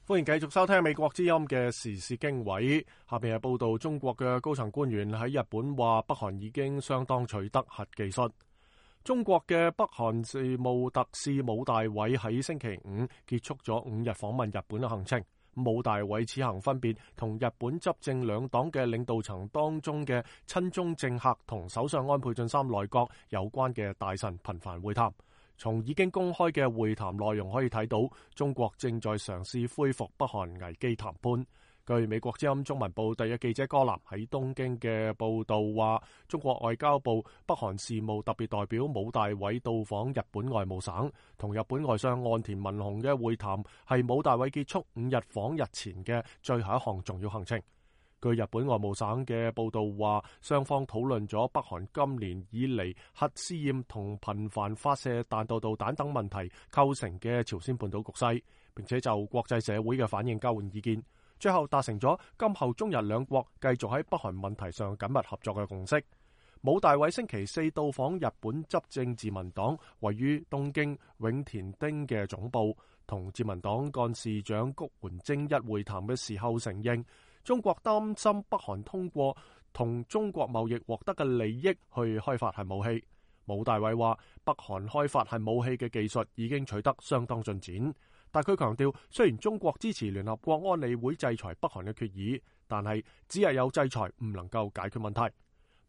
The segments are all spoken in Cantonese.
歡迎繼續收聽美國之音嘅時事經緯。下邊係報道，中國嘅高層官員喺日本話，北韓已經相當取得核技術。中國嘅北韓事務特使武大偉喺星期五結束咗5日訪問日本嘅行程。武大偉此行分別同日本執政兩黨嘅領導層當中嘅親中政客同首相安倍晉三內閣有關嘅大臣頻繁會談。從已經公開嘅會談內容可以睇到，中國正在嘗試恢復北韓危機談判。據美國之音中文部第一記者柯南喺東京嘅報道話，中國外交部北韓事務特別代表武大偉到訪日本外務省，同日本外相岸田文雄嘅會談係武大偉結束5日訪日前嘅最後一項重要行程。據日本外務省嘅報道話，雙方討論咗北韓今年以嚟核試驗同頻繁發射彈道導彈等問題構成嘅朝鮮半島局勢，並且就國際社會嘅反應交換意見，最後達成咗今後中日兩國繼續喺北韓問題上緊密合作嘅共識。武大偉星期四到訪日本執政自民黨位於東京永田町嘅總部，同自民黨幹事長谷垣征一會談嘅時候承認，中國擔心北韓通過同中國貿易獲得嘅利益去開發核武器。武大偉話，北韓開發核武器嘅技術已經取得相當進展，但佢強調，雖然中國支持聯合國安理會制裁北韓嘅決議，但係只係有制裁唔能夠解決問題。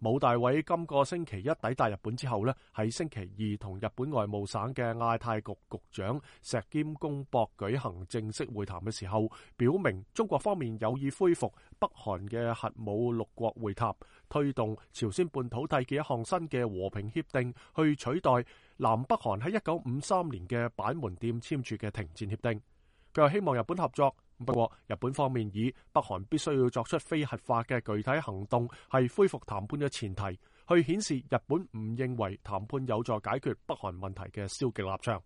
武大偉今個星期一抵達日本之後呢，喺星期二同日本外務省嘅亞太局局長石兼公博舉行正式會談嘅時候，表明中國方面有意恢復北韓嘅核武6國會談，推動朝鮮半島締結一項新嘅和平協定，去取代南北韓喺1953年嘅板門店簽署嘅停戰協定。佢又希望日本合作，不過日本方面以北韓必須要作出非核化嘅具體行動係恢復談判嘅前提，去顯示日本唔認為談判有助解決北韓問題嘅消極立場。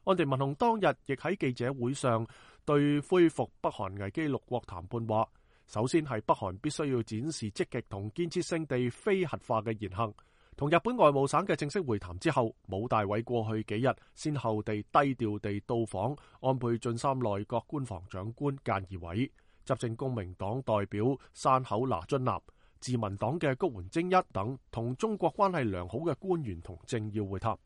岸田文雄當日亦喺記者會上對恢復北韓危機6國談判話，首先係北韓必須要展示積極同建設性地非核化嘅言行。同日本外務省嘅正式會談之後，武大偉過去幾日先後地低調地到訪安倍晉三內閣官房長官菅義偉、執政公明黨代表山口那津男、自民黨嘅谷垣征一等同中國關係良好嘅官員同政要會談。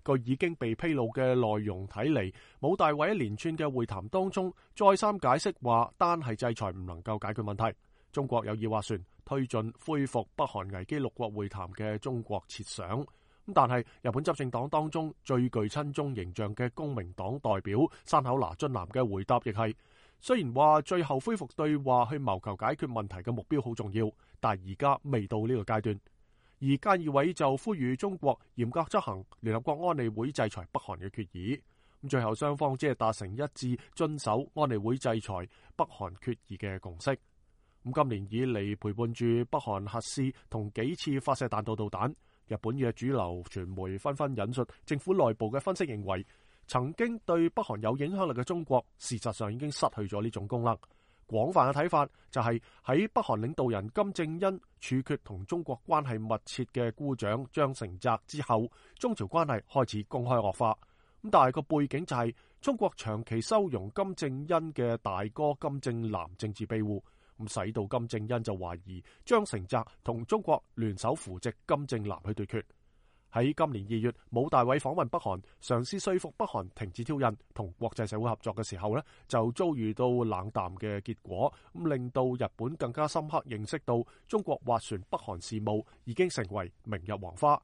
據已經被披露嘅內容睇嚟，武大偉一連串嘅會談當中再三解釋話，單係制裁唔能夠解決問題。中國有意斡旋推進恢復北韓危機6國會談嘅中國設想，但係日本執政黨當中最具親中形象嘅公明黨代表山口那津男嘅回答亦係，雖然話最後恢復對話去謀求解決問題嘅目標好重要，但係而家未到呢個階段。而菅義偉就呼籲中國嚴格執行聯合國安理會制裁北韓嘅決議，最後雙方只係達成一致遵守安理會制裁北韓決議嘅共識。今年以嚟陪伴住北韓核試同幾次發射彈道導彈，日本嘅主流傳媒紛紛引述政府內部嘅分析，認為曾經對北韓有影響力嘅中國，事實上已經失去咗呢種功能。廣泛嘅睇法就係喺北韓領導人金正恩處決同中國關係密切嘅姑丈張成澤之後，中朝關係開始公開惡化。但係個背景就係中國長期收容金正恩嘅大哥金正男政治庇護。使到金正恩就懷疑張成澤同中國聯手扶植金正男去對決。喺今年2月，武大偉訪問北韓，嘗試說服北韓停止挑釁同國際社會合作嘅時候呢，就遭遇到冷淡嘅結果，令到日本更加深刻認識到中國斡旋北韓事務已經成為明日黃花。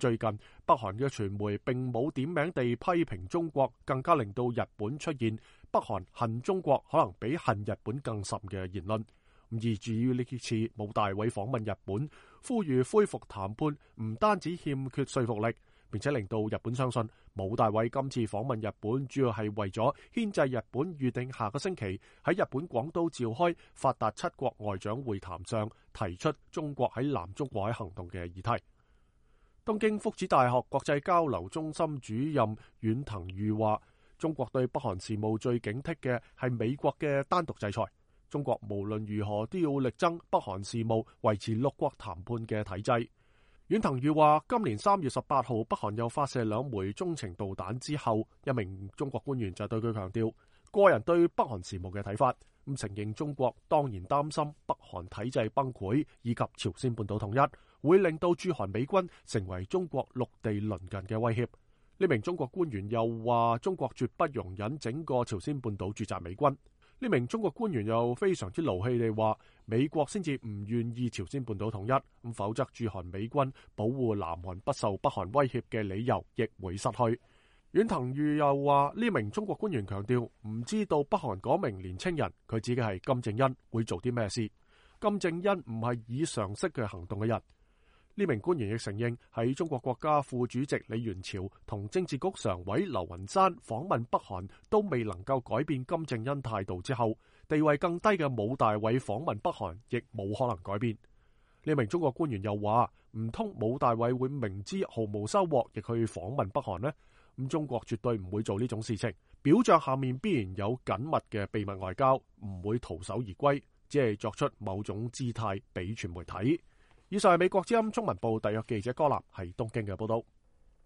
最近北韓嘅傳媒並冇點名地批評中國，更加令到日本出現北韓恨中國可能比恨日本更甚嘅言論。而至於呢次武大偉訪問日本，呼籲恢復談判，唔單止欠缺說服力，並且令到日本相信武大偉今次訪問日本主要係為咗牽制日本預定下個星期喺日本廣島召開發達7國外長會談上提出中國喺南中國海行動嘅議題。東京福祉大學國際交流中心主任遠藤裕話，中國對北韓事務最警惕嘅係美國嘅單獨制裁。中國無論如何都要力爭北韓事務維持6國談判嘅體制。遠藤裕話，今年3月18號北韓又發射2枚中程導彈之後，一名中國官員就對佢強調，個人對北韓事務嘅睇法，承認中國當然擔心北韓體制崩潰以及朝鮮半島統一，會令到駐韓美軍成為中國陸地鄰近嘅威脅。呢名中國官員又話，中國絕不容忍整個朝鮮半島駐紮美軍。呢名中國官員又非常之勞氣地話，美國先至唔願意朝鮮半島統一，否則駐韓美軍保護南韓不受北韓威脅嘅理由亦會失去。阮騰宇又話，呢名中國官員強調，唔知道北韓嗰名年青人，佢指嘅係金正恩，會做啲咩事。金正恩唔係以常識嘅行動嘅人。呢名官員亦承認，喺中國國家副主席李元朝同政治局常委劉雲山訪問北韓都未能夠改變金正恩態度之後，地位更低嘅武大偉訪問北韓亦冇可能改變。呢名中國官員又話，唔通武大偉會明知毫無收穫亦去訪問北韓呢？咁中國絕對唔會做呢種事情，表象下面必然有緊密嘅秘密外交，唔會徒手而歸，只係作出某種姿態俾傳媒睇。以上係美國之音中文部特約記者柯立喺東京嘅報道。